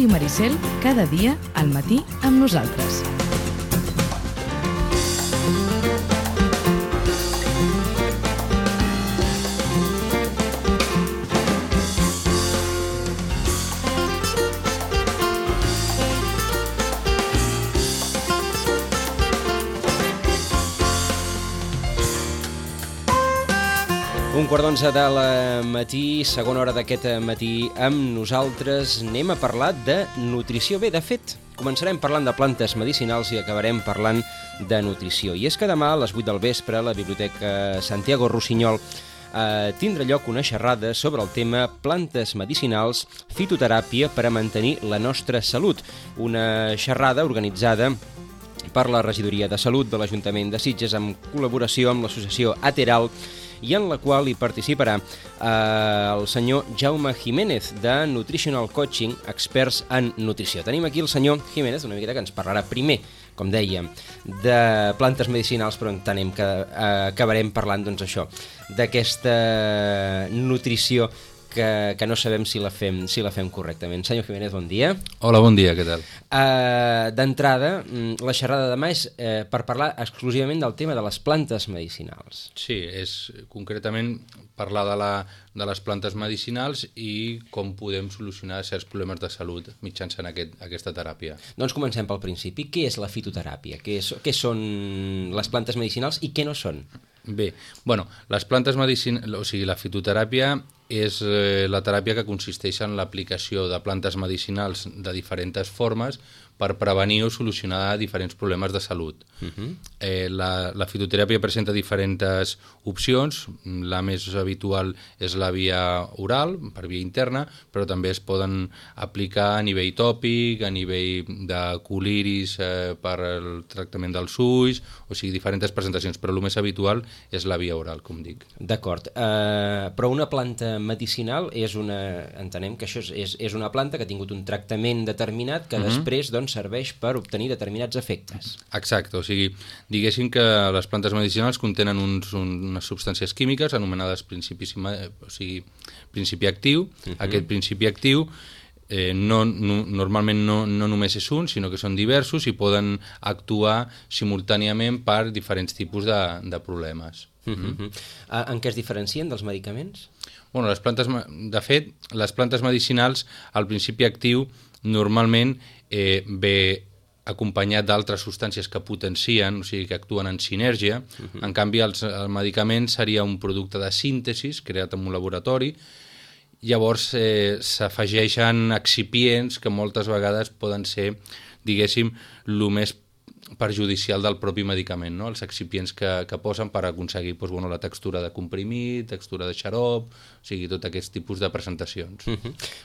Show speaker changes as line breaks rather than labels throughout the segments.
Ràdio Maricel, cada dia al matí amb nosaltres.
Un quart d'onze del matí, segona hora d'aquest matí, amb nosaltres anem a parlar de nutrició. Bé, de fet, començarem parlant de plantes medicinals i acabarem parlant de nutrició. I és que demà a les 8 del vespre a la Biblioteca Santiago Rossinyol tindrà lloc una xerrada sobre el tema plantes medicinals, fitoteràpia per a mantenir la nostra salut. Una xerrada organitzada per la Regidoria de Salut de l'Ajuntament de Sitges en col·laboració amb l'associació Ateral, i en la qual hi participarà el senyor Jaume Jiménez, de Nutritional Coaching, experts en nutrició. Tenim aquí el senyor Jiménez, una miqueta que ens parlarà primer, com dèiem, de plantes medicinals, però entenem que acabarem parlant, doncs, això, d'aquesta nutrició que no sabem si la fem correctament. Senyor Jiménez, bon dia.
Hola, bon dia, què tal?
D'entrada, la xerrada de demà és per parlar exclusivament del tema de les plantes medicinals.
Sí, és concretament parlar de les plantes medicinals i com podem solucionar certs problemes de salut mitjançant aquesta teràpia.
Doncs comencem pel principi. Què és la fitoteràpia? Què són les plantes medicinals i què no són?
Bé, bueno, les plantes medicinals, o sigui, la fitoteràpia és la teràpia que consisteix en l'aplicació de plantes medicinals de diferents formes per prevenir o solucionar diferents problemes de salut. La fitoteràpia presenta diferents opcions. La més habitual és la via oral, per via interna, però també es poden aplicar a nivell tòpic, a nivell de coliris per al tractament dels ulls, o sigui, diferents presentacions, però el més habitual és la via oral, com dic.
D'acord, però una planta medicinal entenem que això és una planta que ha tingut un tractament determinat que després serveix per obtenir determinats efectes.
Exacte, o sigui, diguéssim que les plantes medicinals contenen unes substàncies químiques anomenades principi actiu. Aquest principi actiu normalment no només és un, sinó que són diversos i poden actuar simultàniament per diferents tipus de problemes.
En què es diferencien dels medicaments?
Bueno, de fet, les plantes medicinals, el principi actiu normalment ve acompanyat d'altres substàncies que potencien, o sigui, que actuen en sinergia. En canvi, el medicament seria un producte de síntesi creat en un laboratori. Llavors s'afegeixen excipients que moltes vegades poden ser, diguéssim, el més perjudicial del propi medicament, no? Els excipients que posen per aconseguir la textura de comprimit, textura de xarop, o sigui, tot aquest tipus de presentacions.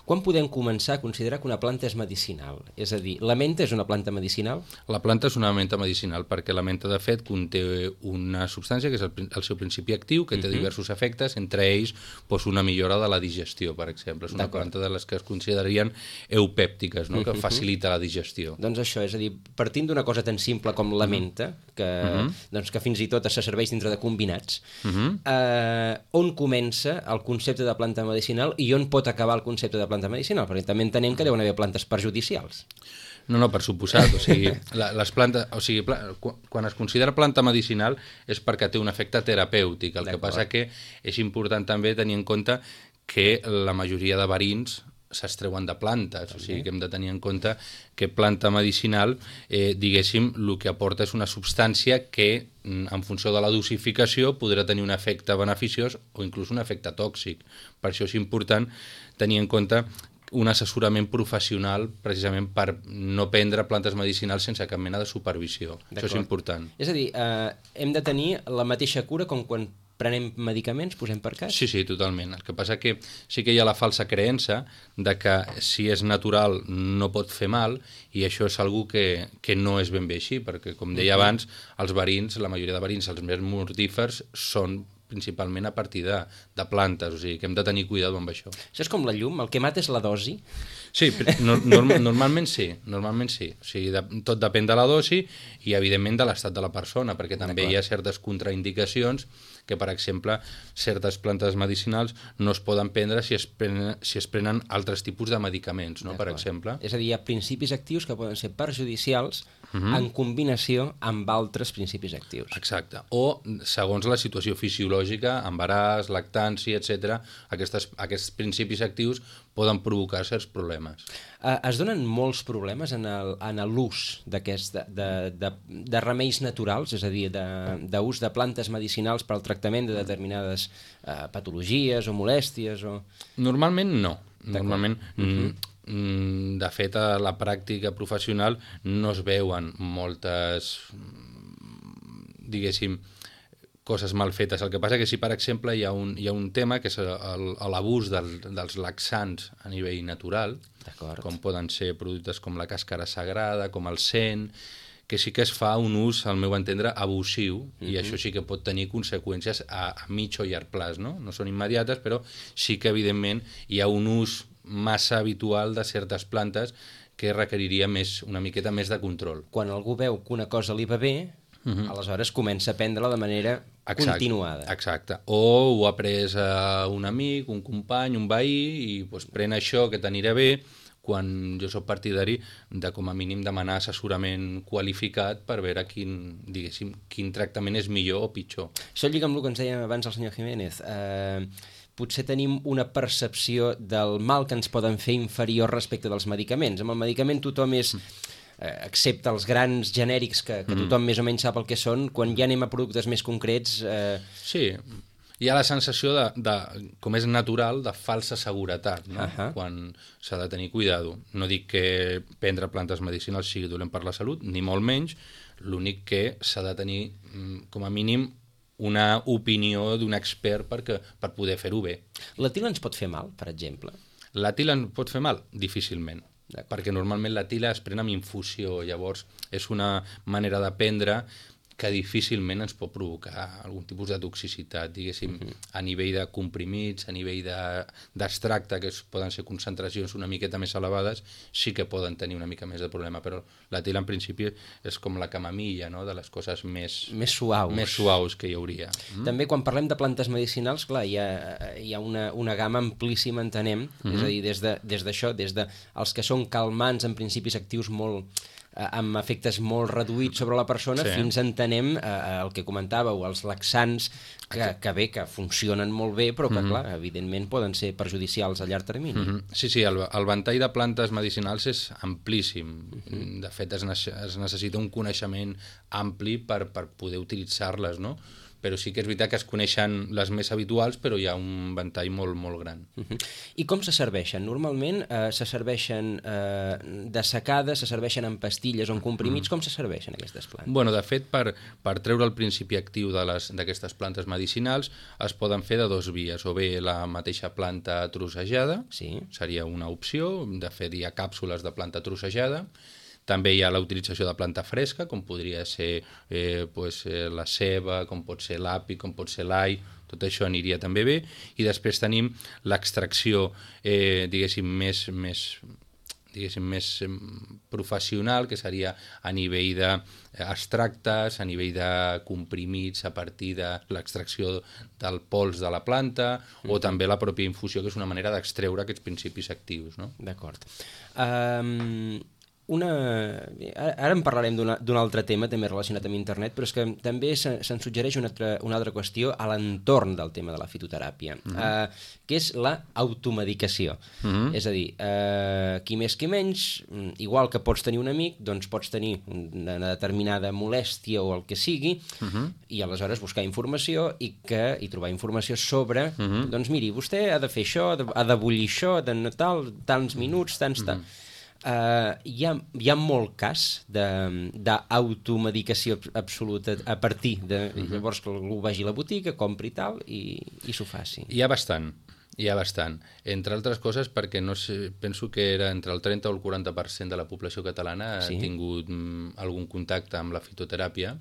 Quan podem començar a considerar que una planta és medicinal? És a dir, la menta és una planta medicinal?
La planta és una menta medicinal perquè la menta, de fet, conté una substància que és el seu principi actiu, que té diversos efectes, entre ells una millora de la digestió, per exemple. És una planta de les que es considerarien eupèptiques, no? Que facilita la digestió.
Doncs això, és a dir, partint d'una cosa tan simple com la menta, que fins i tot se serveix dintre de combinats, on comença el concepte de planta medicinal i on pot acabar el concepte de planta medicinal? Perquè també entenem que deuen haver plantes perjudicials.
No, per suposat. O sigui, les plantes, o sigui, quan es considera planta medicinal és perquè té un efecte terapèutic. El que passa que és important també tenir en compte que la majoria de verins s'extreuen de plantes, o sigui que hem de tenir en compte que planta medicinal, diguéssim, el que aporta és una substància que, en funció de la dosificació, podrà tenir un efecte beneficiós o inclús un efecte tòxic. Per això és important tenir en compte un assessorament professional precisament per no prendre plantes medicinals sense cap mena de supervisió. Això és important.
És a dir, hem de tenir la mateixa cura com quan prenem medicaments, posem per cas?
Sí, totalment. El que passa que sí que hi ha la falsa creença de que si és natural no pot fer mal, i això és algo que no és ben bé així, perquè, com deia abans, els verins, la majoria de verins, els més mortífers, són principalment a partir de plantes, o sigui que hem de tenir cuidado amb això.
Això és com la llum, el que mata és la dosi?
Sí, normalment sí. O sigui, tot depèn de la dosi i, evidentment, de l'estat de la persona, perquè també hi ha certes contraindicacions que, per exemple, certes plantes medicinals no es poden prendre si es prenen altres tipus de medicaments, no? Per exemple.
És a dir, hi ha principis actius que poden ser perjudicials en combinació amb altres principis actius.
Exacte. O, segons la situació fisiològica, embaràs, lactància, etc., aquests principis actius poden provocar certs problemes.
Es donen molts problemes en l'ús de remeis naturals, és a dir, d'ús de plantes medicinals per al tractament de determinades patologies o molèsties?
Normalment no. Normalment, de fet, a la pràctica professional no es veuen moltes, diguéssim, coses mal fetes. El que passa que si, per exemple, hi ha un tema que és l'abús dels laxants a nivell natural, com poden ser productes com la càscara sagrada, com el sen, que sí que es fa un ús, al meu entendre, abusiu, i això sí que pot tenir conseqüències a mig o llarg plaç, no? No són immediates, però sí que, evidentment, hi ha un ús massa habitual de certes plantes que requeriria una miqueta més de control.
Quan algú veu que una cosa li va bé, aleshores comença a prendre-la de manera continuada.
Exacte. O ho ha pres un amic, un company, un veí, i pren això que t'anirà bé, quan jo soc partidari de, com a mínim, demanar assessorament qualificat per veure quin tractament és millor o pitjor.
Això lliga amb el que ens deia abans el senyor Jiménez. Potser tenim una percepció del mal que ens poden fer inferior respecte dels medicaments. Amb el medicament tothom és, excepte els grans genèrics que tothom més o menys sap el que són, quan ja anem a productes més concrets...
Sí, hi ha la sensació com és natural, de falsa seguretat, no? Quan s'ha de tenir cuidado. No dic que prendre plantes medicinals sigui dolent per la salut, ni molt menys, l'únic que s'ha de tenir, com a mínim, una opinió d'un expert per poder fer-ho bé.
La tila ens pot fer mal, per exemple?
La tila ens pot fer mal? Difícilment, perquè normalment la tila es pren amb infusió, llavors és una manera de prendre que difícilment ens pot provocar algun tipus de toxicitat, diguéssim, a nivell de comprimits, a nivell d'extracte, que poden ser concentracions una miqueta més elevades, sí que poden tenir una mica més de problema, però la tila en principi és com la camamilla, no?, de les coses més suaus que hi hauria.
També quan parlem de plantes medicinals, clar, hi ha una gamma amplíssima, entenem, és a dir, des d'això, des dels que són calmants en principis actius amb efectes molt reduïts sobre la persona, fins entenem el que comentàveu, els laxants, que funcionen molt bé, però que, clar, evidentment poden ser perjudicials a llarg termini.
Sí, el ventall de plantes medicinals és amplíssim. De fet, es necessita un coneixement ampli per poder utilitzar-les, no? Però sí que és veritat que es coneixen les més habituals, però hi ha un ventall molt, molt gran.
I com se serveixen? Normalment se serveixen dessecades, se serveixen en pastilles o en comprimits. Com se serveixen aquestes plantes?
Bueno, de fet, per treure el principi actiu d'aquestes plantes medicinals es poden fer de dues vies, o bé la mateixa planta trossejada, seria una opció, de fet hi ha càpsules de planta trossejada. També hi ha la utilització de planta fresca, com podria ser la ceba, com pot ser l'api, com pot ser l'all, tot això aniria també bé. I després tenim l'extracció, diguéssim, més professional, que seria a nivell d'extractes, a nivell de comprimits a partir de l'extracció del pols de la planta, o també la pròpia infusió, que és una manera d'extreure aquests principis actius, no?
D'acord. Ara en parlarem d'un altre tema també relacionat amb internet, però és que també se'n suggereix una altra qüestió a l'entorn del tema de la fitoteràpia, que és la automedicació. És a dir, qui més qui menys, igual que pots tenir un amic, doncs pots tenir una determinada molèstia o el que sigui, i aleshores buscar informació i trobar informació sobre, doncs miri, vostè ha de fer això, ha de bullir això, tants minuts, tants... Hi ha molt cas d'automedicació absoluta a partir de llavors que algú vagi a la botiga, compri tal i s'ho faci.
Hi ha bastant. Entre altres coses perquè penso que era entre el 30 o el 40% de la població catalana ha tingut algun contacte amb la fitoteràpia.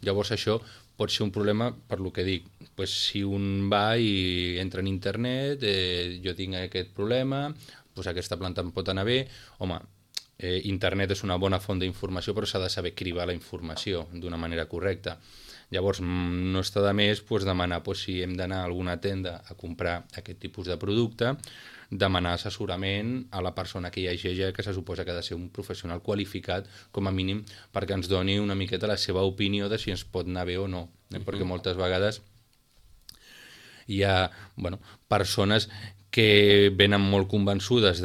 Llavors això pot ser un problema per lo que dic. Pues, si un va i entra en internet, jo tinc aquest problema, pues aquesta planta em pot anar bé. Home, internet és una bona font d'informació, però s'ha de saber cribar la informació d'una manera correcta. Llavors, no està de més demanar si hem d'anar a alguna tenda a comprar aquest tipus de producte, demanar assessorament a la persona que hi hagi allà, que se suposa que ha de ser un professional qualificat, com a mínim, perquè ens doni una miqueta la seva opinió de si ens pot anar bé o no. Perquè moltes vegades hi ha persones que venen molt convençudes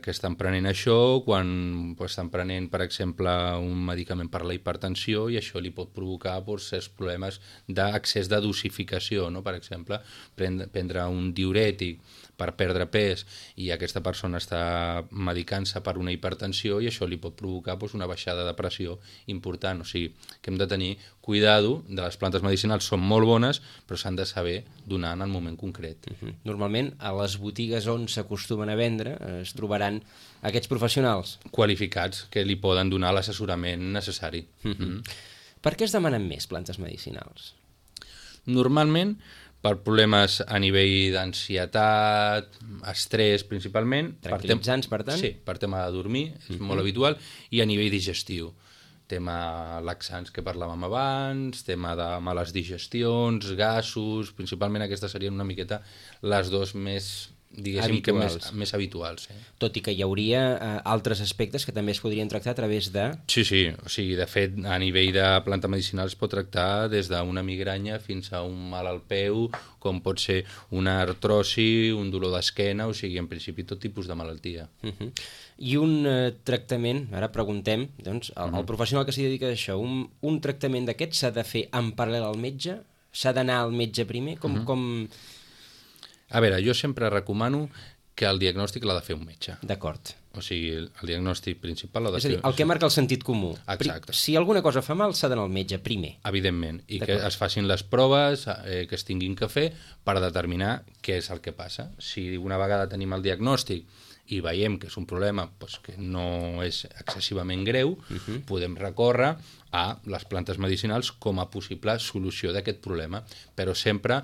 que estan prenent això quan estan prenent, per exemple, un medicament per la hipertensió, i això li pot provocar certs problemes d'accés de dosificació, no? Per exemple, prendre un diürètic per perdre pes i aquesta persona està medicant-se per una hipertensió i això li pot provocar una baixada de pressió important. O sigui, que hem de tenir cuidado de les plantes medicinals, són molt bones, però s'han de saber donar en el moment concret.
Normalment, a les botigues on s'acostumen a vendre es trobaran aquests professionals
qualificats que li poden donar l'assessorament necessari.
Per què es demanen més plantes medicinals?
Normalment, per problemes a nivell d'ansietat, estrès principalment.
Tranquil·litzants, per tant?
Sí, per tema de dormir, és molt habitual, i a nivell digestiu. Tema laxants que parlàvem abans, tema de males digestions, gasos, principalment aquestes serien una miqueta les dos més, diguéssim, més habituals.
Tot i que hi hauria altres aspectes que també es podrien tractar a través de...
Sí, o sigui, de fet, a nivell de planta medicinal es pot tractar des d'una migranya fins a un mal al peu, com pot ser una artrosi, un dolor d'esquena, o sigui, en principi tot tipus de malaltia.
I un tractament, ara preguntem, doncs, el professional que s'hi dedica a això, un tractament d'aquest s'ha de fer en paral·lel al metge? S'ha d'anar al metge primer?
A veure, jo sempre recomano que el diagnòstic l'ha de fer un metge.
D'acord.
O sigui, el diagnòstic principal l'ha de fer...
És a dir, el que marca el sentit comú.
Exacte.
Si alguna cosa fa mal, s'ha d'anar al metge primer.
Evidentment, i que es facin les proves que es tinguin que fer per determinar què és el que passa. Si una vegada tenim el diagnòstic i veiem que és un problema que no és excessivament greu, podem recórrer a les plantes medicinals com a possible solució d'aquest problema, però sempre,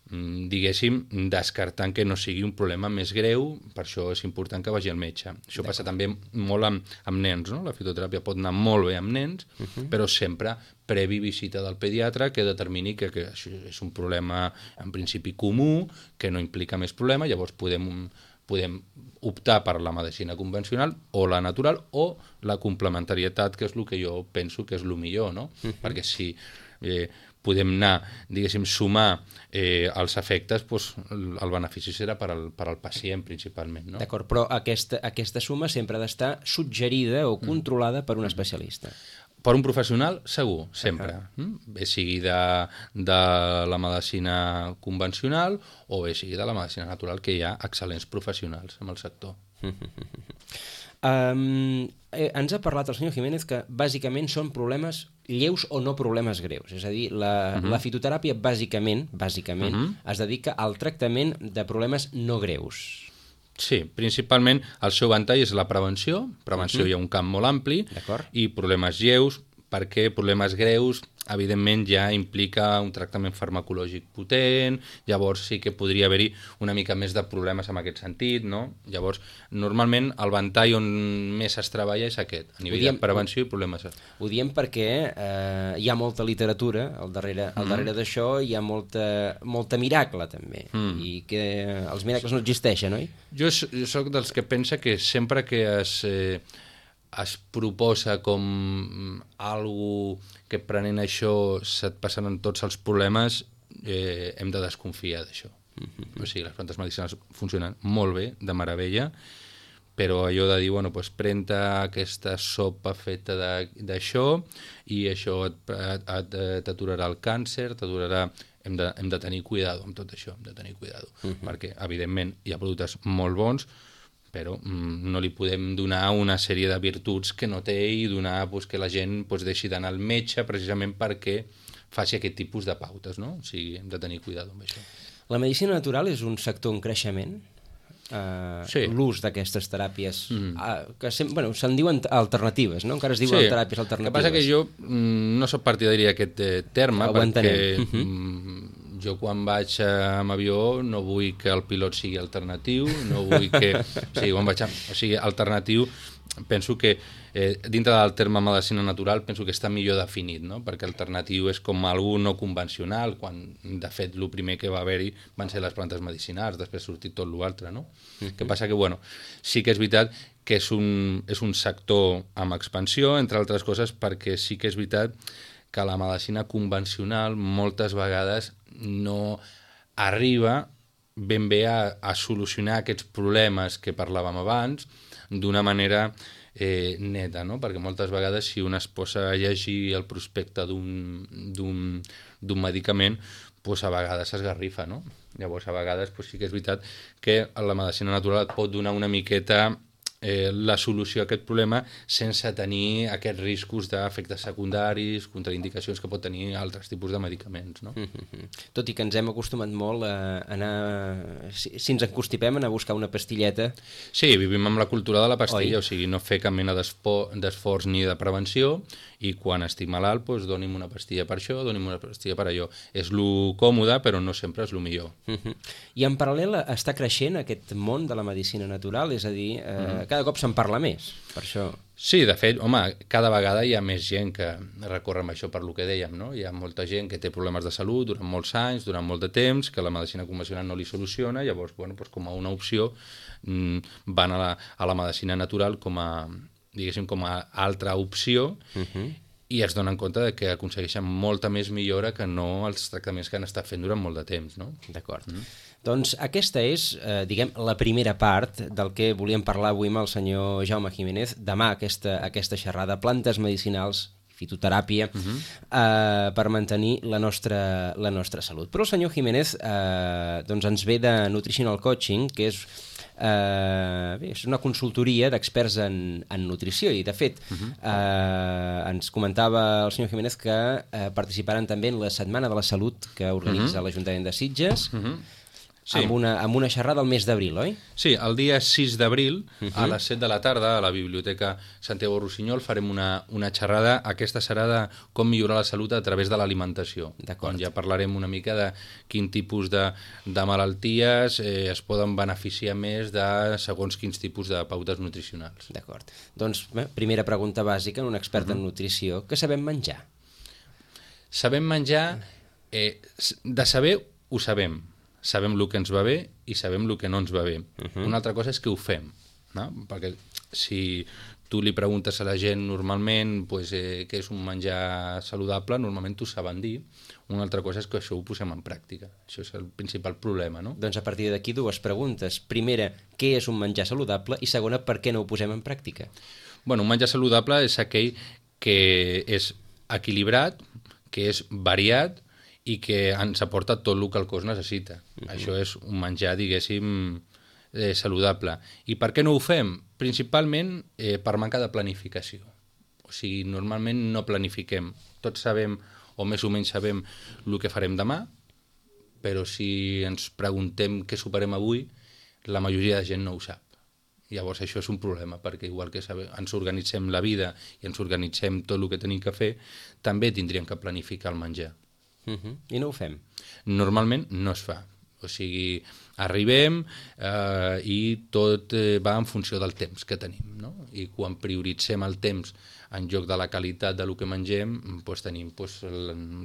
diguéssim, descartant que no sigui un problema més greu. Per això és important que vagi al metge. Això passa també molt amb nens, no? La fitoteràpia pot anar molt bé amb nens, però sempre previ visita del pediatre que determini que això és un problema en principi comú, que no implica més problema, llavors podem optar per la medicina convencional o la natural o la complementarietat, que és el que jo penso que és el millor, no? Perquè si podem anar, diguéssim, sumar els efectes, el benefici serà per al pacient principalment, no?
D'acord, però aquesta suma sempre ha d'estar suggerida o controlada per un especialista.
Per un professional, segur, sempre. Bé sigui de la medicina convencional o bé sigui de la medicina natural, que hi ha excel·lents professionals en el sector.
Ens ha parlat el senyor Jiménez que bàsicament són problemes lleus o no problemes greus. És a dir, la fitoteràpia bàsicament es dedica al tractament de problemes no greus.
Sí, principalment el seu ventall és la prevenció. Prevenció hi ha un camp molt ampli. I problemes lleus, perquè problemes greus evidentment ja implica un tractament farmacològic potent, llavors sí que podria haver-hi una mica més de problemes en aquest sentit, no? Llavors, normalment el ventall on més es treballa és aquest, a nivell de prevenció i problemes.
Ho diem perquè hi ha molta literatura al darrere d'això, hi ha molta miracle també, i que els miracles no existeixen, oi?
Jo soc dels que pensa que sempre que es proposa com algo que prenent això se't passaran tots els problemes, hem de desconfiar d'això. O sigui, les plantes medicinals funcionen molt bé, de meravella, però allò de dir, pren-te aquesta sopa feta d'això i això t'aturarà el càncer, t'aturarà... Hem de tenir cuidado amb tot això, perquè, evidentment, hi ha productes molt bons, però no li podem donar una sèrie de virtuts que no té i donar que la gent deixi d'anar al metge precisament perquè faci aquest tipus de pautes, no? O sigui, hem de tenir cuidado amb això.
La medicina natural és un sector en creixement? l'ús d'aquestes teràpies, que se'n diuen alternatives, no? Encara es diuen teràpies alternatives.
El que passa que jo no soc partidari d'aquest terme, perquè jo quan vaig amb avió no vull que el pilot sigui alternatiu, no vull que... alternatiu, penso que dintre del terme medicina natural penso que està millor definit, no? Perquè alternatiu és com algú no convencional, quan de fet el primer que va haver-hi van ser les plantes medicinals, després ha sortit tot l'altre, no? Que passa que, sí que és veritat que és un sector amb expansió, entre altres coses perquè sí que és veritat que la medicina convencional moltes vegades no arriba ben bé a solucionar aquests problemes que parlàvem abans d'una manera neta, no? Perquè moltes vegades si un es posa a llegir el prospecte d'un medicament, a vegades s'esgarrifa, no? Llavors, a vegades sí que és veritat que la medicina natural et pot donar una miqueta la solució a aquest problema sense tenir aquests riscos d'efectes secundaris, contraindicacions que pot tenir altres tipus de medicaments, no?
Tot i que ens hem acostumat molt a anar... Si ens encostipem, anar a buscar una pastilleta...
Sí, vivim amb la cultura de la pastilla, o sigui, no fer cap mena d'esforç ni de prevenció, i quan estic malalt, doni'm una pastilla per això, doni'm una pastilla per allò. És lo còmode, però no sempre és lo millor.
I en paral·lel està creixent aquest món de la medicina natural, és a dir, cada cop se'n parla més, per això...
Sí, de fet, cada vegada hi ha més gent que recorre amb això per lo que dèiem, no? Hi ha molta gent que té problemes de salut durant molts anys, durant molt de temps, que la medicina convencional no li soluciona, llavors, com a una opció, van a la medicina natural com a altra opció, i es donen compte de que aconsegueixen molta més millora que no els tractaments que han estat fent durant molt de temps, no?
D'acord. Doncs aquesta és, la primera part del que volíem parlar avui amb el senyor Jaume Jiménez. Demà aquesta xerrada, plantes medicinals, fitoteràpia, per mantenir la nostra salut. Però el senyor Jiménez ens ve de Nutritional Coaching, que és una consultoria d'experts en nutrició, i de fet ens comentava el senyor Jiménez que participaran també en la Setmana de la Salut que organitza l'Ajuntament de Sitges, amb una xerrada al mes d'abril, oi?
Sí, el dia 6 d'abril, a les 7 de la tarda, a la Biblioteca Santiago Rossinyol, farem una xerrada. Aquesta serà de com millorar la salut a través de l'alimentació. On ja parlarem una mica de quin tipus de malalties es poden beneficiar més de segons quins tipus de pautes nutricionals.
D'acord. Doncs, primera pregunta bàsica, un expert en nutrició. Què sabem menjar?
Sabem menjar... De saber, ho sabem. Sabem el que ens va bé i sabem el que no ens va bé. Una altra cosa és que ho fem, no? Perquè si tu li preguntes a la gent normalment què és un menjar saludable, normalment t'ho saben dir. Una altra cosa és que això ho posem en pràctica. Això és el principal problema, no?
Doncs a partir d'aquí dues preguntes. Primera, què és un menjar saludable? I segona, per què no ho posem en pràctica?
Un menjar saludable és aquell que és equilibrat, que és variat, i que ens aporta tot el que el cos necessita. Això és un menjar, diguéssim, saludable. I per què no ho fem? Principalment per manca de planificació. O sigui, normalment no planifiquem. Tots sabem, o més o menys sabem, el que farem demà, però si ens preguntem què soparem avui, la majoria de gent no ho sap. Llavors això és un problema, perquè igual que ens organitzem la vida i ens organitzem tot el que tenim que fer, també tindríem que planificar el menjar.
I no ho fem?
Normalment no es fa. O sigui, arribem i tot va en funció del temps que tenim, no? I quan prioritzem el temps en lloc de la qualitat del que mengem, tenim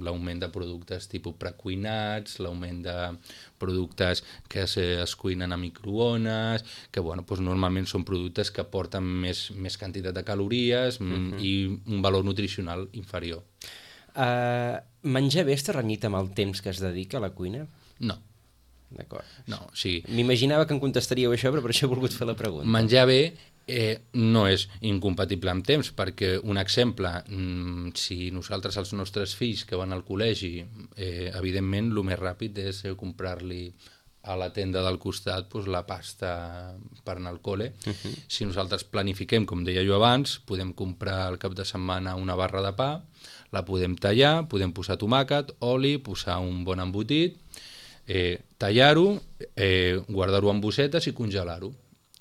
l'augment de productes tipus precuinats, l'augment de productes que es cuinen a microones, que normalment són productes que aporten més quantitat de calories i un valor nutricional inferior.
Menjar bé està renyit amb el temps que es dedica a la cuina?
No.
D'acord.
No, sí.
M'imaginava que em contestaríeu això, però per això he volgut fer la pregunta.
Menjar bé no és incompatible amb temps, perquè un exemple, si nosaltres els nostres fills que van al col·legi, evidentment el més ràpid és comprar-li a la tenda del costat la pasta per anar al col·le. Si nosaltres planifiquem, com deia jo abans, podem comprar al cap de setmana una barra de pa, la podem tallar, podem posar tomàquet, oli, posar un bon embotit, tallar-ho, guardar-ho en bossetes i congelar-ho.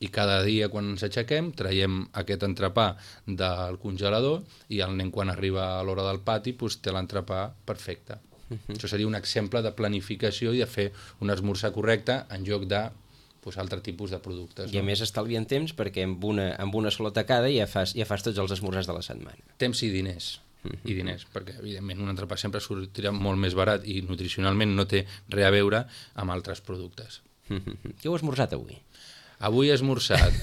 I cada dia quan ens aixequem traiem aquest entrepà del congelador i el nen quan arriba a l'hora del pati doncs, té l'entrepà perfecte. Això seria un exemple de planificació i de fer un esmorzar correcte en lloc de altre tipus de productes.
I a més estalvien temps perquè amb una sola tacada ja fas tots els esmorzars de la setmana.
Temps i diners. I diners, perquè evidentment un entrepà sempre sortirà molt més barat i nutricionalment no té res a veure amb altres productes.
Què heu esmorzat avui?
Avui he esmorzat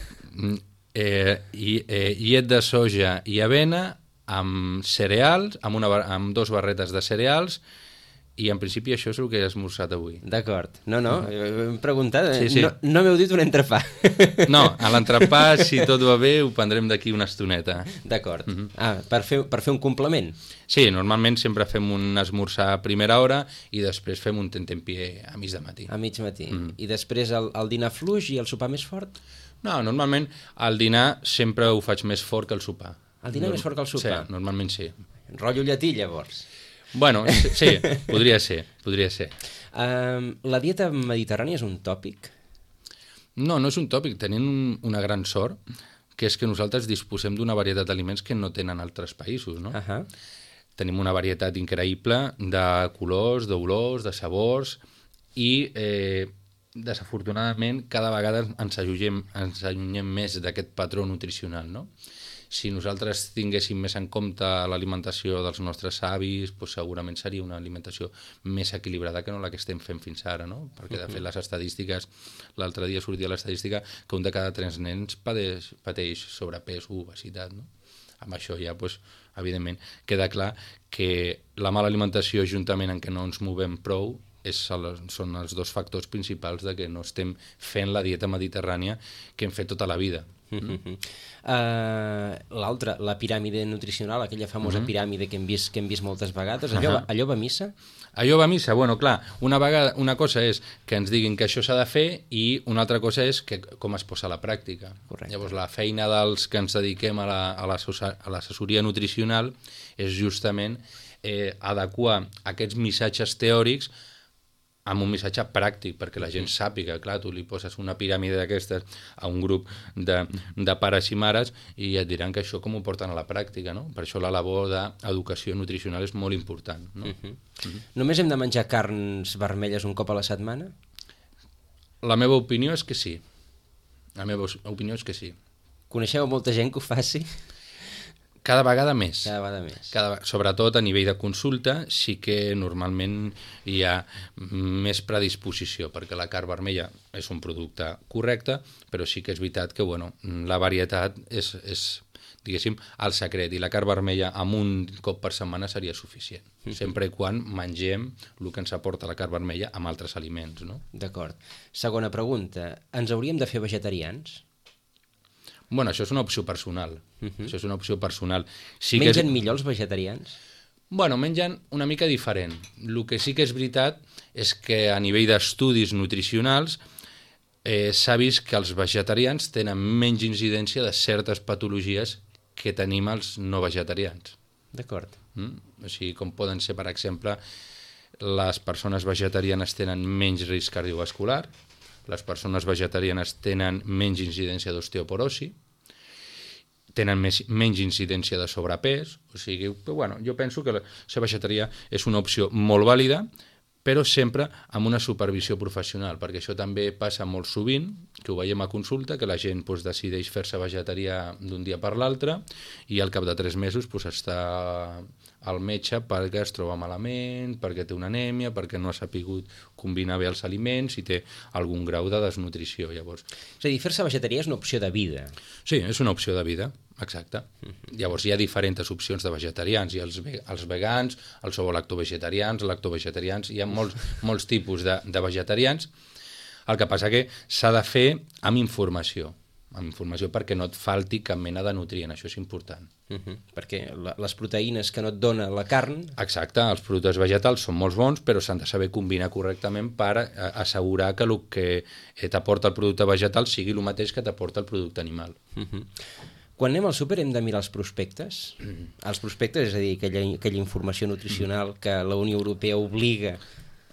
llet de soja i avena amb cereals, amb 2 barretes de cereals, i en principi això és el que he esmorzat avui.
D'acord. No, hem preguntat.
Sí.
No m'heu dit un entrepà.
No, a l'entrepà, si tot va bé, ho prendrem d'aquí una estoneta.
D'acord. Per fer un complement?
Sí, normalment sempre fem un esmorzar a primera hora i després fem un tentempié a mig de matí.
A mig matí. I després el dinar fluix i el sopar més fort?
No, normalment el dinar sempre ho faig més fort que el sopar.
El dinar més fort que el sopar?
Sí, normalment sí.
Rotllo llatí, llavors?
Bueno, sí, podria ser.
La dieta mediterrània és un tòpic?
No és un tòpic. Tenim una gran sort, que és que nosaltres disposem d'una varietat d'aliments que no tenen altres països, no? Tenim una varietat increïble de colors, d'olors, de sabors, i desafortunadament cada vegada ens allunyem més d'aquest patró nutricional, no? Si nosaltres tinguéssim més en compte l'alimentació dels nostres avis, doncs segurament seria una alimentació més equilibrada que no la que estem fent fins ara, no? Perquè, de fet, les estadístiques, l'altre dia sortia l'estadística que un de cada 3 nens pateix sobrepès o obesitat, no? Amb això ja, doncs, evidentment, queda clar que la mala alimentació, juntament amb què no ens movem prou, són els 2 factors principals de que no estem fent la dieta mediterrània que hem fet tota la vida.
L'altra, la piràmide nutricional, aquella famosa piràmide que hem vist moltes vegades, allò va a missa?
Allò va a missa, bueno, clar, una cosa és que ens diguin que això s'ha de fer i una altra cosa és com es posa a la pràctica.
Correcte.
Llavors, la feina dels que ens dediquem a l'assessoria nutricional és justament adequar aquests missatges teòrics amb un missatge pràctic, perquè la gent sàpiga, clar, tu li poses una piràmide d'aquestes a un grup de pares i mares i et diran que això com ho porten a la pràctica, no? Per això la labor d'educació nutricional és molt important, no?
Només hem de menjar carns vermelles un cop a la setmana?
La meva opinió és que sí. La meva opinió és que sí.
Coneixeu molta gent que ho faci?
Cada vegada més. Sobretot a nivell de consulta sí que normalment hi ha més predisposició, perquè la carn vermella és un producte correcte, però sí que és veritat que la varietat és diguéssim, el secret, i la carn vermella amb un cop per setmana seria suficient, sempre i quan mengem el que ens aporta la carn vermella amb altres aliments, no?
D'acord. Segona pregunta, ens hauríem de fer vegetarians?
Bueno, això és una opció personal. Això és una opció personal.
Mengen millor els vegetarians?
Bueno, mengen una mica diferent. El que sí que és veritat és que a nivell d'estudis nutricionals s'ha vist que els vegetarians tenen menys incidència de certes patologies que tenim els no vegetarians.
D'acord.
O sigui, com poden ser, per exemple, les persones vegetarianes tenen menys risc cardiovascular, les persones vegetarianes tenen menys incidència d'osteoporosi, tenen menys incidència de sobrepès, o sigui, jo penso que ser vegetarià és una opció molt vàlida, però sempre amb una supervisió professional, perquè això també passa molt sovint, que ho veiem a consulta, que la gent decideix fer-se vegetarià d'un dia per l'altre i al cap de 3 mesos està al metge perquè es troba malament, perquè té una anèmia, perquè no ha sapigut combinar bé els aliments i té algun grau de desnutrició. Llavors,
és a dir, fer-se vegetarià és una opció de vida.
Sí, és una opció de vida, exacte. Llavors hi ha diferents opcions de vegetarians, hi ha els vegans, els ovo-lactovegetarians, lactovegetarians, hi ha molts tipus de vegetarians. El que passa que s'ha de fer amb informació perquè no et falti cap mena de nutrient, això és important.
Perquè les proteïnes que no et dona la carn...
Exacte, els productes vegetals són molt bons, però s'han de saber combinar correctament per assegurar que el que t'aporta el producte vegetal sigui el mateix que t'aporta el producte animal.
Quan anem al súper hem de mirar els prospectes? Els prospectes, és a dir, aquella informació nutricional que la Unió Europea obliga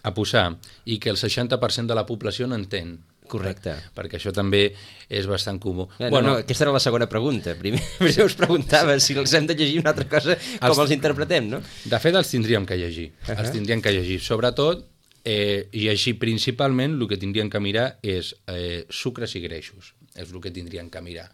a posar i que el 60% de la població no entén.
Correcte.
Perquè això també és bastant comú.
No, aquesta era la segona pregunta. Primer us preguntava si els hem de llegir una altra cosa, com els interpretem, no?
De fet, els tindríem que llegir. Els tindríem que llegir. Sobretot, llegir principalment, el que tindríem que mirar és sucres i greixos. És el que tindríem que mirar.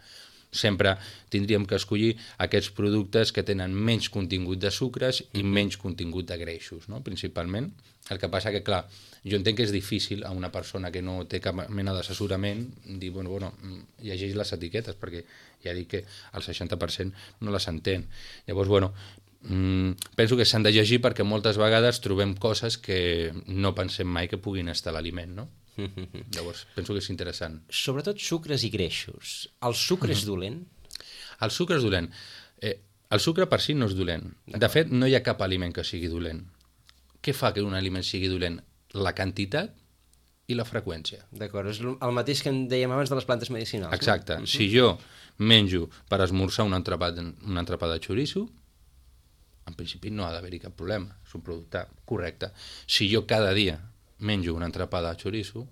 Sempre tindríem que escollir aquests productes que tenen menys contingut de sucres i menys contingut de greixos, no? Principalment. El que passa que, clar, jo entenc que és difícil a una persona que no té cap mena d'assessorament dir, bueno, llegeix les etiquetes, perquè ja dic que el 60% no les entén. Llavors, bueno, penso que s'han de llegir perquè moltes vegades trobem coses que no pensem mai que puguin estar a l'aliment, no? Llavors, penso que és interessant.
Sobretot sucres i greixos. El sucre és dolent?
El sucre és dolent. El sucre per si no és dolent. De fet, no hi ha cap aliment que sigui dolent. Què fa que un aliment sigui dolent? La quantitat i la freqüència.
D'acord, és el mateix que en dèiem abans de les plantes medicinals.
Exacte. No? Si jo menjo per esmorzar un entrepà de xoriço, en principi no ha d'haver-hi cap problema. És un producte correcte. Si jo cada dia menjo un entrepà de xoriço,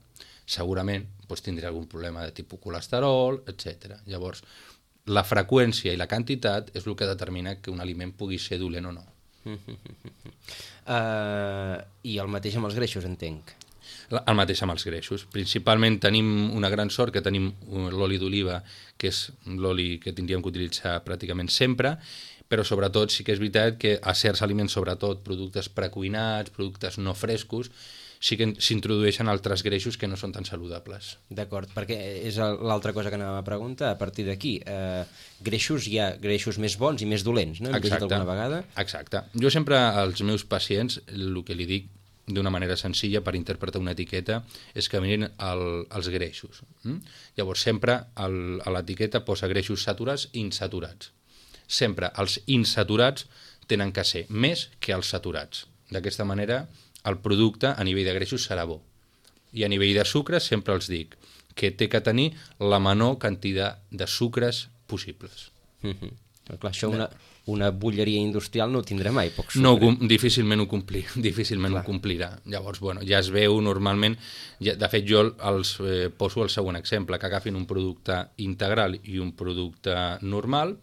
segurament tindré algun problema de tipus colesterol, etc. Llavors, la freqüència i la quantitat és el que determina que un aliment pugui ser dolent o no.
I el mateix amb els greixos, entenc.
El mateix amb els greixos. Principalment tenim una gran sort que tenim l'oli d'oliva, que és l'oli que tindríem que utilitzar pràcticament sempre, però sobretot sí que és veritat que a certs aliments, sobretot productes precuinats, productes no frescos, sí que s'introdueixen altres greixos que no són tan saludables.
D'acord, perquè és l'altra cosa que anàvem a preguntar, a partir d'aquí. Greixos, hi ha greixos més bons i més dolents, no? Hem llegit alguna vegada?
Exacte. Jo sempre als meus pacients el que li dic d'una manera senzilla per interpretar una etiqueta és que mirin els greixos. Llavors sempre a l'etiqueta posa greixos saturats i insaturats. Sempre els insaturats tenen que ser més que els saturats. D'aquesta manera el producte a nivell de greixos serà bo. I a nivell de sucres sempre els dic que té que tenir la menor quantitat de sucres possibles.
Clar, això una bulleria industrial no ho tindrà mai, poc sucre.
No, difícilment ho complirà. Llavors, bueno, ja es veu normalment, de fet jo els poso el següent exemple, que agafin un producte integral i un producte normal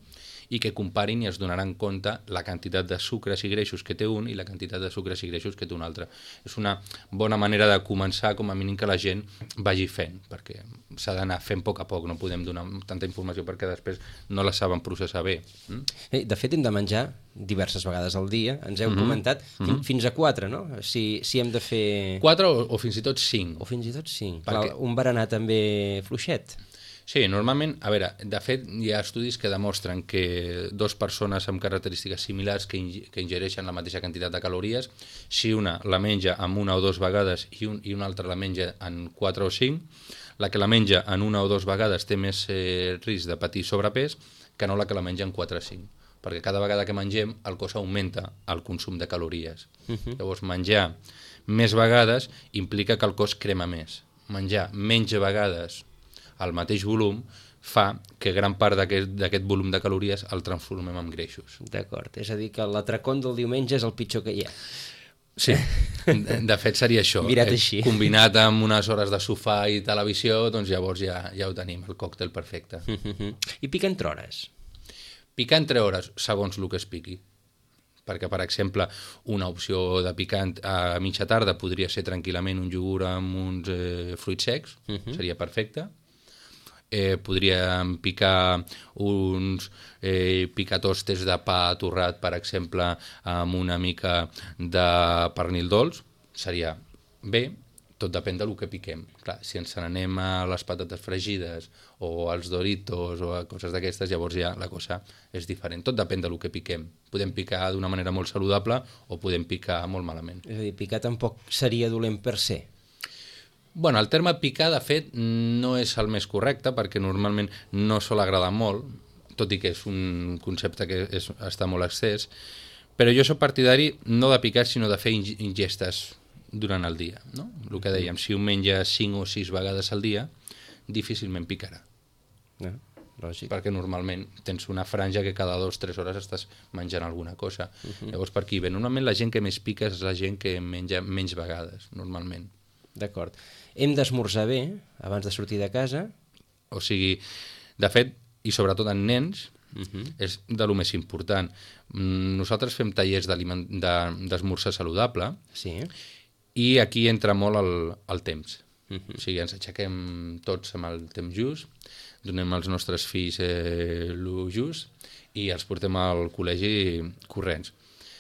i que comparin i es donaran compte la quantitat de sucres i greixos que té un i la quantitat de sucres i greixos que té un altre. És una bona manera de començar, com a mínim que la gent vagi fent, perquè s'ha d'anar fent a poc, no podem donar tanta informació perquè després no la saben processar bé.
De fet, hem de menjar diverses vegades al dia, ens heu comentat, fins a 4, no? Si hem de fer...
4 o fins i tot 5.
O fins i tot 5. Perquè... un berenar també fluixet.
Sí, normalment, a veure, de fet hi ha estudis que demostren que dues persones amb característiques similars que ingereixen la mateixa quantitat de calories, si una la menja en 1 o 2 vegades i una altra la menja en 4 o 5, la que la menja en 1 o 2 vegades té més risc de patir sobrepès que no la que la menja en 4 o 5, perquè cada vegada que mengem el cos augmenta el consum de calories. Llavors menjar més vegades implica que el cos crema més. Menjar menys vegades al mateix volum fa que gran part d'aquest volum de calories el transformem en greixos.
D'acord, és a dir que l'atracón del diumenge és el pitjor que hi ha.
Sí, de fet seria això.
Mirat així.
Combinat amb unes hores de sofà i televisió, doncs llavors ja ho tenim, el còctel perfecte.
I picar entre hores?
Picar entre hores, segons el que es piqui. Perquè, per exemple, una opció de picant a mitja tarda podria ser tranquil·lament un iogurt amb uns fruits secs, seria perfecte. Podríem picar uns picatostes de pa torrat, per exemple, amb una mica de pernil dolç, seria bé, tot depèn del que piquem. Clar, si ens n'anem a les patates fregides o als Doritos o a coses d'aquestes, llavors ja la cosa és diferent. Tot depèn del que piquem. Podem picar d'una manera molt saludable o podem picar molt malament.
És a dir, picar tampoc seria dolent per se.
Bueno, el terme picar, de fet, no és el més correcte, perquè normalment no sol agradar molt, tot i que és un concepte que està molt excès, però jo soc partidari no de picar, sinó de fer ingestes durant el dia. No? El que dèiem, si un menja 5 o 6 vegades al dia, difícilment picarà.
Lògic.
Perquè normalment tens una franja que cada 2 o 3 hores estàs menjant alguna cosa. Llavors per aquí ve. Normalment la gent que més pica és la gent que menja menys vegades, normalment.
D'acord. Hem d'esmorzar bé abans de sortir de casa.
O sigui, de fet, i sobretot en nens, és de lo més important. Nosaltres fem tallers d'esmorzar saludable,
Sí.
i aquí entra molt el temps. O sigui, ens aixequem tots amb el temps just, donem als nostres fills el just i els portem al col·legi corrents.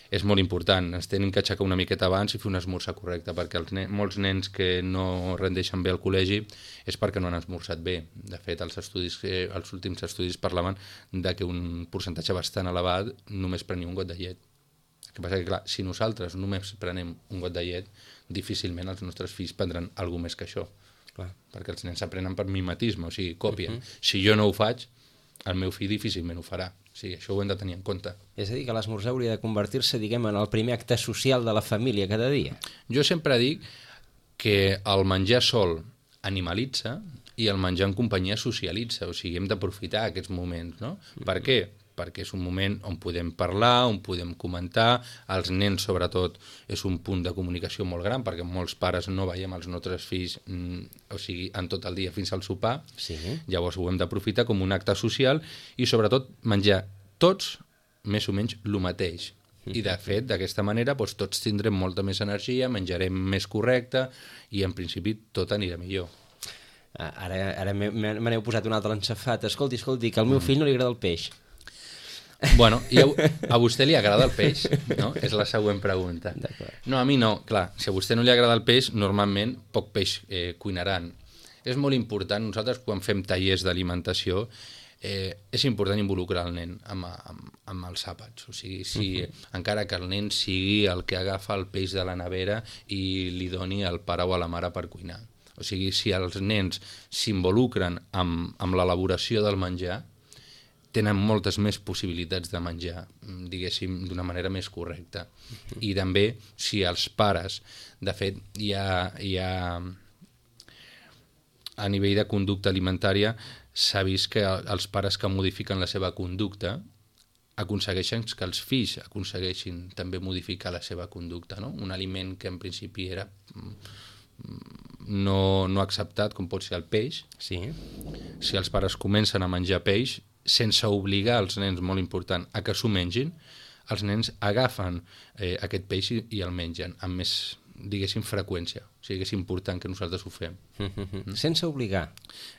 És molt important, ens tenen que aixecar una miqueta abans i fer un esmorzar correcte, perquè molts nens que no rendeixen bé al col·legi és perquè no han esmorzat bé. De fet, els últims estudis parlaven de que un percentatge bastant elevat només prenia un got de llet. El que passa que, clar, si nosaltres només prenem un got de llet, difícilment els nostres fills prendran alguna més que això. Clar, perquè els nens aprenen per mimetisme, o sigui, còpien. Si jo no ho faig, el meu fill difícilment ho farà. O sigui, això ho hem de tenir en compte.
És a dir, que l'esmorzar hauria de convertir-se, diguem, en el primer acte social de la família cada dia.
Jo sempre dic que el menjar sol animalitza i el menjar en companyia socialitza, o sigui, hem d'aprofitar aquests moments, no? Per què? Perquè és un moment on podem parlar, on podem comentar, els nens sobretot és un punt de comunicació molt gran, perquè molts pares no veiem els nostres fills o sigui, en tot el dia fins al sopar, llavors ho hem d'aprofitar com un acte social i sobretot menjar tots més o menys el mateix. I de fet, d'aquesta manera, doncs, tots tindrem molta més energia, menjarem més correcte i en principi tot anirà millor.
Ara me n'heu posat un altre encefat. Escolti, que al meu fill no li agrada el peix.
Bueno, i a vostè li agrada el peix? No? És la següent pregunta. No, a mi no. Clar, si a vostè no li agrada el peix, normalment poc peix cuinaran. És molt important, nosaltres quan fem tallers d'alimentació, és important involucrar el nen amb els àpats. O sigui, encara que el nen sigui el que agafa el peix de la nevera i li doni al pare o a la mare per cuinar. O sigui, si els nens s'involucren amb l'elaboració del menjar, tenen moltes més possibilitats de menjar, diguéssim, d'una manera més correcta. I també, si els pares, de fet, hi ha a nivell de conducta alimentària, s'ha vist que els pares que modifiquen la seva conducta aconsegueixen que els fills aconsegueixin també modificar la seva conducta, no? Un aliment que en principi era no acceptat, com pot ser el peix, si els pares comencen a menjar peix, sense obligar els nens, molt important, a que s'ho mengin, els nens agafen aquest peix i el mengen amb més, diguéssim, freqüència. O sigui que és important que nosaltres ho fem.
Sense obligar.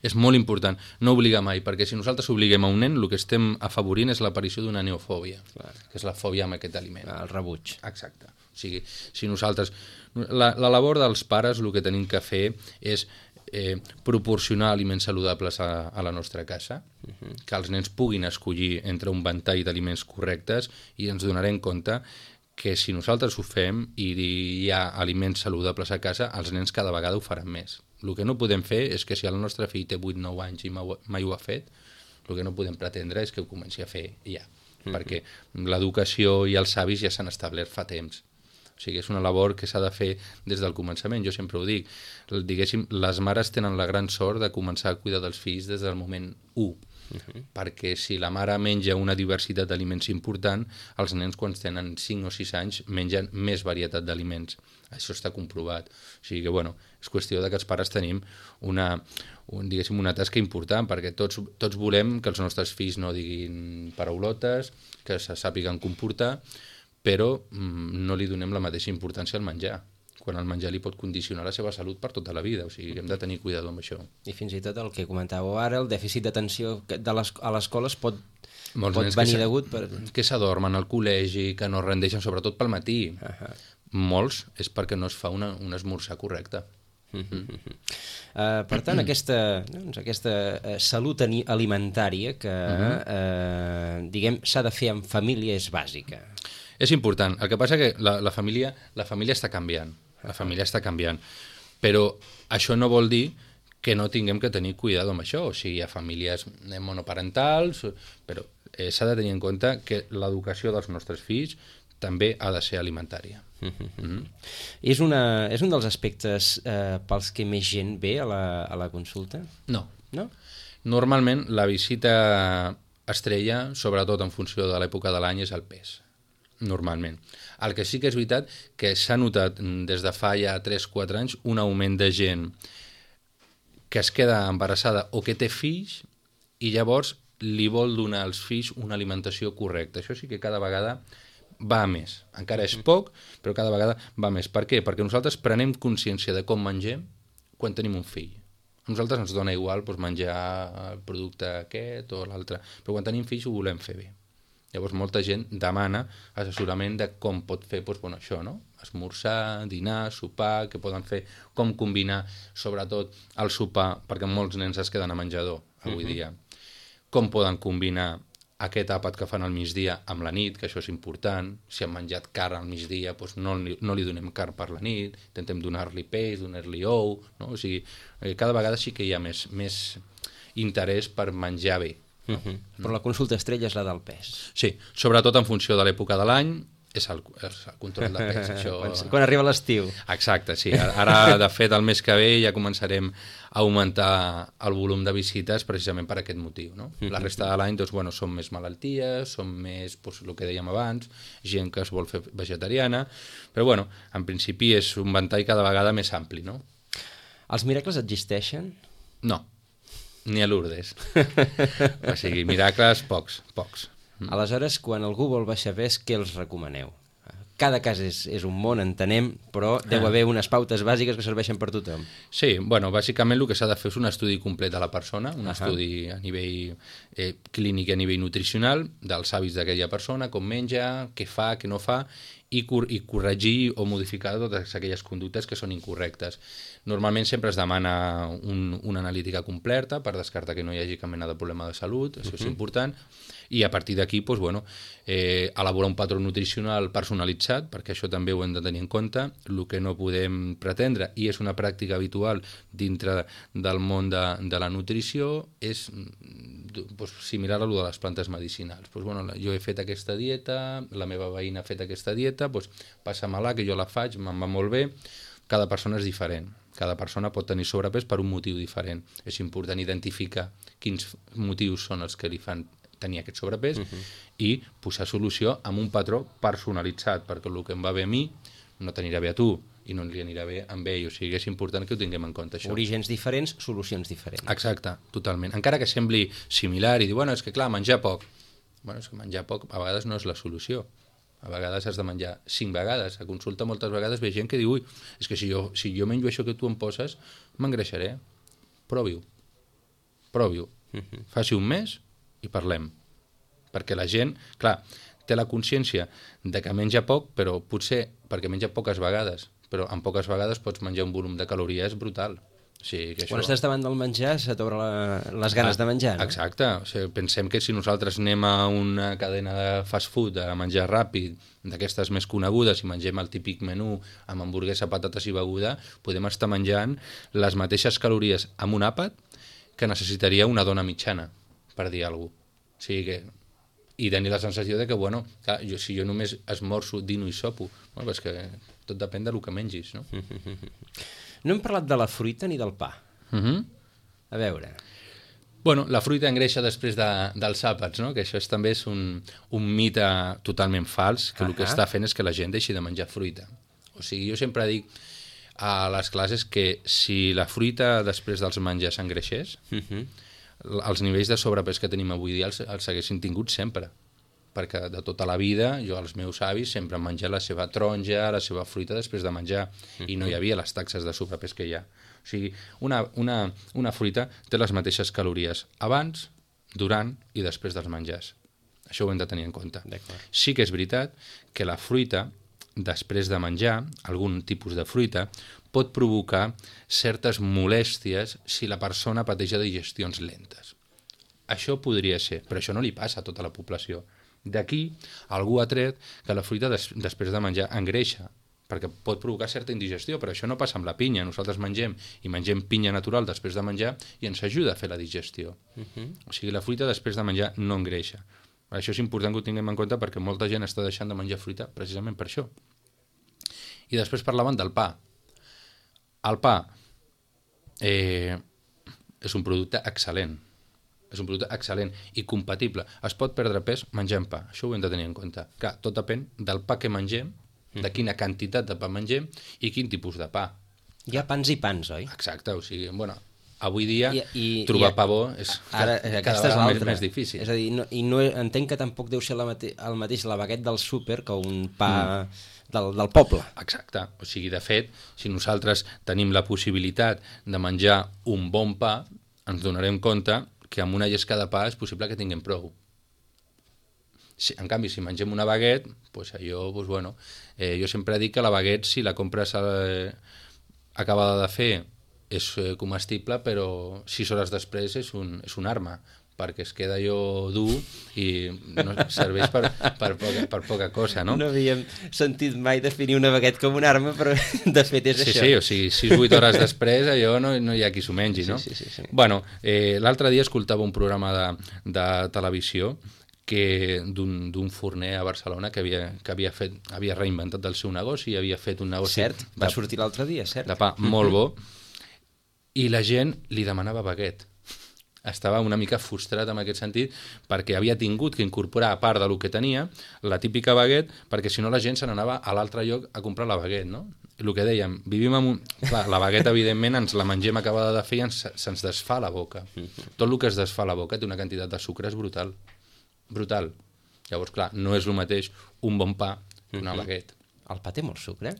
És molt important, no obligar mai, perquè si nosaltres obliguem a un nen, el que estem afavorint és l'aparició d'una neofòbia, que és la fòbia amb aquest aliment.
El rebuig.
Exacte. O sigui, si nosaltres... La labor dels pares, el que tenim que fer és proporcionar aliments saludables a la nostra casa, que els nens puguin escollir entre un ventall d'aliments correctes i ens donarem compte que si nosaltres ho fem i hi ha aliments saludables a casa, els nens cada vegada ho faran més. El que no podem fer és que si el nostre fill té 8-9 anys i mai ho ha fet, el que no podem pretendre és que ho comenci a fer ja, perquè l'educació i els hàbits ja s'han establert fa temps. O sigui, és una labor que s'ha de fer des del començament, jo sempre ho dic. Diguéssim, les mares tenen la gran sort de començar a cuidar dels fills des del moment 1, perquè si la mare menja una diversitat d'aliments important, els nens quan tenen 5 o 6 anys mengen més varietat d'aliments. Això està comprovat. O sigui que, bueno, és qüestió de que els pares tenim una tasca important, perquè tots volem que els nostres fills no diguin paraulotes, que se sàpiguen comportar, però no li donem la mateixa importància al menjar, quan el menjar li pot condicionar la seva salut per tota la vida, o sigui, hem de tenir cuidado amb això.
I fins i tot el que comentàveu ara, el dèficit d'atenció a l'escola pot venir degut per...
Que s'adormen al col·legi, que no rendeixen, sobretot pel matí. Molts és perquè no es fa un esmorzar correcte.
Per tant, aquesta salut alimentària que diguem s'ha de fer en família és bàsica.
És important. El que passa que la família està canviant. La família està canviant. Però això no vol dir que no tinguem que tenir cuidado amb això. O sigui, hi ha famílies monoparentals, però s'ha de tenir en compte que l'educació dels nostres fills també ha de ser alimentària.
És un dels aspectes pels que més gent ve a la consulta?
No.
No?
Normalment, la visita estrella, sobretot en funció de l'època de l'any, és el pes. Normalment. El que sí que és veritat que s'ha notat des de fa ja 3-4 anys un augment de gent que es queda embarassada o que té fills i llavors li vol donar als fills una alimentació correcta. Això sí que cada vegada va a més. Encara és poc, però cada vegada va a més. Per què? Perquè nosaltres prenem consciència de com mengem quan tenim un fill. A nosaltres ens dona igual doncs, menjar el producte aquest o l'altre, però quan tenim fills ho volem fer bé. Llavors molta gent demana assessorament de com pot fer doncs, bueno, això, no? Esmorzar, dinar, sopar, què poden fer, com combinar sobretot el sopar, perquè molts nens es queden a menjador avui dia. Com poden combinar aquest àpat que fan al migdia amb la nit, que això és important. Si han menjat carn al migdia, doncs no li donem carn per la nit, intentem donar-li peix, donar-li ou, no? O sigui, cada vegada sí que hi ha més interès per menjar bé.
Però la consulta estrella és la del pes.
Sí, sobretot en funció de l'època de l'any, és el control de pes. Això...
Quan arriba l'estiu.
Exacte, sí. Ara, de fet, el mes que ve ja començarem a augmentar el volum de visites precisament per aquest motiu. No? La resta de l'any doncs, bueno, són més malalties, són més, doncs, el que dèiem abans, gent que es vol fer vegetariana, però bueno, en principi és un ventall cada vegada més ampli. No?
Els miracles existeixen?
No, ni a Lourdes. O sigui, miracles, pocs.
Aleshores, quan algú vol baixar pes, què els recomaneu? Cada cas és un món, entenem, però deu haver unes pautes bàsiques que serveixen per tothom.
Sí, bueno, bàsicament el que s'ha de fer és un estudi complet de la persona, un estudi a nivell clínic i a nivell nutricional, dels hàbits d'aquella persona, com menja, què fa, què no fa, i corregir o modificar totes aquelles conductes que són incorrectes. Normalment sempre es demana una analítica completa per descartar que no hi hagi cap mena de problema de salut, això és important, i a partir d'aquí doncs, bueno, elaborar un patró nutricional personalitzat, perquè això també ho hem de tenir en compte. El que no podem pretendre, i és una pràctica habitual dintre del món de la nutrició, és doncs, similar a lo de les plantes medicinals. Doncs, bueno, jo he fet aquesta dieta, la meva veïna ha fet aquesta dieta, doncs, passa-me-la, que jo la faig, me'n va molt bé. Cada persona és diferent. Cada persona pot tenir sobrepès per un motiu diferent. És important identificar quins motius són els que li fan tenir aquest sobrepès i posar solució amb un patró personalitzat, perquè el que em va bé a mi no t'anirà bé a tu i no li anirà bé amb ell. O sigui, és important que ho tinguem en compte, això.
Orígens diferents, solucions diferents.
Exacte, totalment. Encara que sembli similar i dir, bueno, és que clar, menjar poc. Bueno, és que menjar poc a vegades no és la solució. A vegades has de menjar 5 vegades. A consulta moltes vegades ve gent que diu, ui, és que si jo menjo això que tu em poses, m'engreixaré. Provi-ho. Faci un mes i parlem. Perquè la gent, clar, té la consciència de que menja poc, però potser perquè menja poques vegades, però en poques vegades pots menjar un volum de calories brutal. O sigui, que
quan estàs davant del menjar se t'obre les ganes de menjar, no?
Exacte. O sigui, pensem que si nosaltres anem a una cadena de fast food a menjar ràpid, d'aquestes més conegudes, i mengem el típic menú amb hamburguesa, patates i beguda, podem estar menjant les mateixes calories amb un àpat que necessitaria una dona mitjana, per dir alguna cosa. O sigui que... I tenir la sensació de que, bueno, clar, si jo només esmorzo, dino i sopo, bueno, és que tot depèn del que mengis, no?
No hem parlat de la fruita ni del pa. A veure...
Bueno, la fruita engreixa després dels àpats, no? Que això també és un mite totalment fals, que el que està fent és que la gent deixi de menjar fruita. O sigui, jo sempre dic a les classes que si la fruita després dels menjars engreixés, els nivells de sobrepès que tenim avui dia els haguessin tingut sempre, perquè de tota la vida jo als meus avis sempre han menjat la seva taronja, la seva fruita després de menjar, i no hi havia les taxes de sobrepès que hi ha. O sigui, una fruita té les mateixes calories abans, durant i després dels menjars. Això ho hem de tenir en compte. Sí que és veritat que la fruita, després de menjar, algun tipus de fruita, pot provocar certes molèsties si la persona pateix de digestions lentes. Això podria ser, però això no li passa a tota la població. D'aquí, algú ha tret que la fruita després de menjar engreixa, perquè pot provocar certa indigestió, però això no passa amb la pinya. Nosaltres mengem pinya natural després de menjar i ens ajuda a fer la digestió. O sigui, la fruita després de menjar no engreixa. Això és important que ho tinguem en compte perquè molta gent està deixant de menjar fruita precisament per això. I després parlaven del pa. El pa és un producte excel·lent. És un producte excel·lent i compatible. Es pot perdre pes menjant pa, això ho hem de tenir en compte. Clar, tot depèn del pa que mengem, de quina quantitat de pa mengem i quin tipus de pa.
Hi ha pans i pans, oi?
Exacte, o sigui, bueno, avui dia trobar pa bo és
ara,
cada vegada més difícil.
És a dir, entenc que tampoc deu ser el mateix la baguette del súper que un pa del poble.
Exacte, o sigui, de fet, si nosaltres tenim la possibilitat de menjar un bon pa, ens donarem compte que amb una llesca de pa és possible que tinguem prou. En canvi, si mengem una baguette, doncs allò, doncs bueno, jo sempre dic que la baguette, si la compres acabada de fer, és comestible, però 6 hores després és un arma, perquè es queda allò dur i no serveix per poca cosa, no?
No havíem sentit mai definir una baguette com una arma, però de fet és això.
Sí, o sigui, 6-8 hores després allò no hi ha qui s'ho mengi, no?
Sí.
Bueno, l'altre dia escoltava un programa de televisió d'un forner a Barcelona que havia reinventat el seu negoci i havia fet un negoci...
Cert, va sortir l'altre dia, cert.
De pa molt bo, i la gent li demanava baguette. Estava una mica frustrat en aquest sentit perquè havia tingut que incorporar, a part del que tenia, la típica baguette, perquè si no la gent se n'anava a l'altre lloc a comprar la baguette, no? El que dèiem, vivim amb un... Clar, la baguette, evidentment, ens la mengem acabada de fer i se'ns desfà la boca. Tot el que es desfà la boca té una quantitat de sucre brutal. Brutal. Llavors, clar, no és el mateix un bon pa que una baguette.
El pa té molt sucre?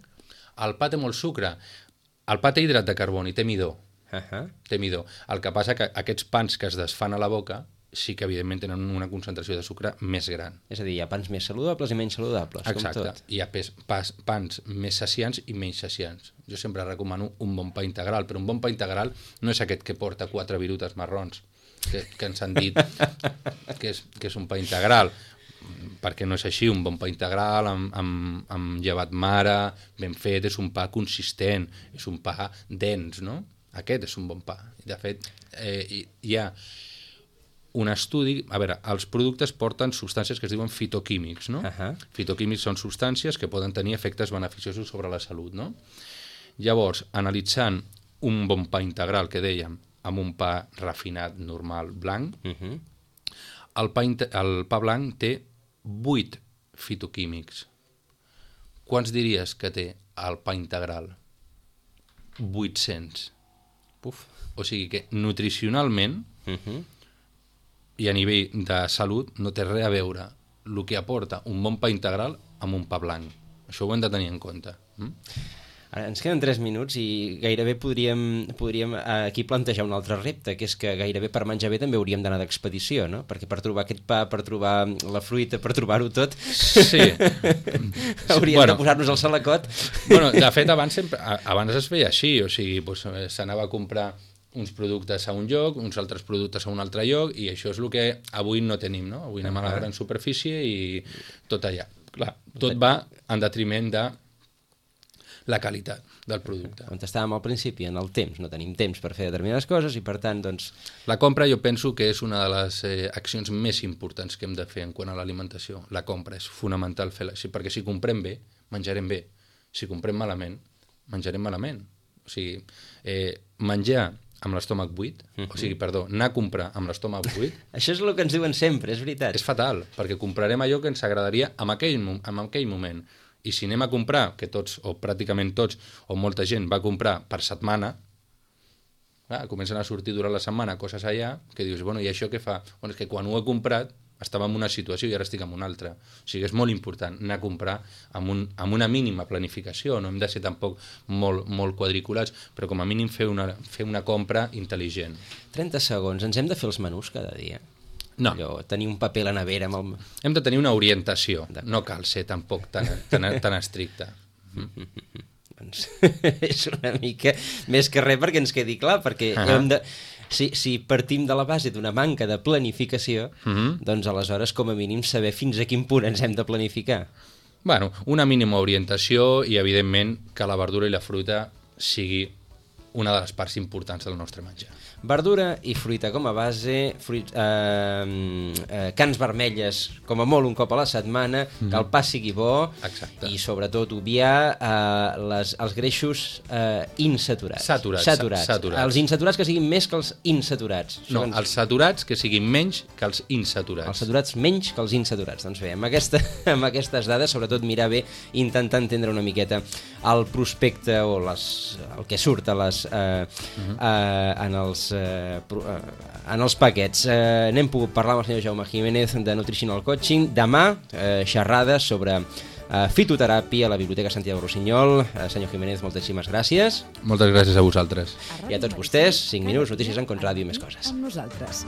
El pa té molt sucre. El pa té hidrat de carboni, té midó. Té midó. El que passa que aquests pans que es desfan a la boca sí que evidentment tenen una concentració de sucre més gran.
És a dir, hi ha pans més saludables i menys saludables.
Exacte.
Com tot.
Hi ha pans més saciants i menys saciants. Jo sempre recomano un bon pa integral, però un bon pa integral no és aquest que porta 4 virutes marrons, que ens han dit que és un pa integral, perquè no és així. Un bon pa integral amb llevat mare, ben fet, és un pa consistent, és un pa dens, no? Aquest és un bon pa. De fet, hi ha un estudi... A veure, els productes porten substàncies que es diuen fitoquímics, no? Fitoquímics són substàncies que poden tenir efectes beneficiosos sobre la salut, no? Llavors, analitzant un bon pa integral, que dèiem, amb un pa refinat, normal, blanc, el pa blanc té 8 fitoquímics. Quants diries que té el pa integral? 800. O sigui que nutricionalment i a nivell de salut no té res a veure el que aporta un bon pa integral amb un pa blanc. Això ho hem de tenir en compte.
Ara, ens queden 3 minuts i gairebé podríem aquí plantejar un altre repte, que és que gairebé per menjar bé també hauríem d'anar d'expedició, no? Perquè per trobar aquest pa, per trobar la fruita, per trobar-ho tot,
sí.
hauríem de posar-nos al salacot.
Bueno, de fet, abans es feia així, o sigui, s'anava a comprar uns productes a un lloc, uns altres productes a un altre lloc, i això és el que avui no tenim, no? Avui anem a la gran superfície i tot allà. Clar, tot va en detriment de la qualitat del producte.
On estàvem al principi, en el temps. No tenim temps per fer determinades coses i, per tant, doncs...
La compra jo penso que és una de les accions més importants que hem de fer en quant a l'alimentació. La compra és fonamental fer-la, perquè si comprem bé, menjarem bé. Si comprem malament, menjarem malament. O sigui, menjar amb l'estómac buit, anar a comprar amb l'estómac buit...
Això és el que ens diuen sempre, és veritat.
És fatal, perquè comprarem allò que ens agradaria en aquell moment. I si anem a comprar, que tots, o pràcticament tots, o molta gent va comprar per setmana, comencen a sortir durant la setmana coses allà, que dius, bueno, i això què fa? Bueno, és que quan ho he comprat estava en una situació i ara estic en una altra. O sigui, és molt important anar a comprar amb una mínima planificació, no hem de ser tampoc molt quadriculats, però com a mínim fer una compra intel·ligent.
30 segons, ens hem de fer els menús cada dia?
No.
Allò, tenir un paper a la nevera amb el...
Hem de tenir una orientació, no cal ser tampoc tan estricte.
Doncs és una mica més que res perquè ens quedi clar, perquè hem de... Si partim de la base d'una manca de planificació, doncs aleshores com a mínim saber fins a quin punt ens hem de planificar.
Bueno, una mínima orientació i evidentment que la verdura i la fruita sigui una de les parts importants del nostre menjar.
Verdura i fruita com a base, cans vermelles com a molt un cop a la setmana, que el pa sigui bo.
Exacte.
I sobretot obviar els greixos insaturats. Saturats. Els insaturats que siguin més que els insaturats.
No, els saturats que siguin menys que els insaturats.
Els saturats menys que els insaturats. Doncs bé, amb aquestes dades, sobretot mirar bé, intentar entendre una miqueta el prospecte o el que surt en els paquets. N'hem pogut parlar amb el senyor Jaume Jiménez de Nutritional Coaching. Demà, xerrades sobre fitoteràpia a la Biblioteca Santiago Rossinyol. Senyor Jiménez, moltíssimes gràcies.
Moltes gràcies a vosaltres.
I a tots vostès, 5 minuts, notícies en Contràdio i més coses.
Amb nosaltres.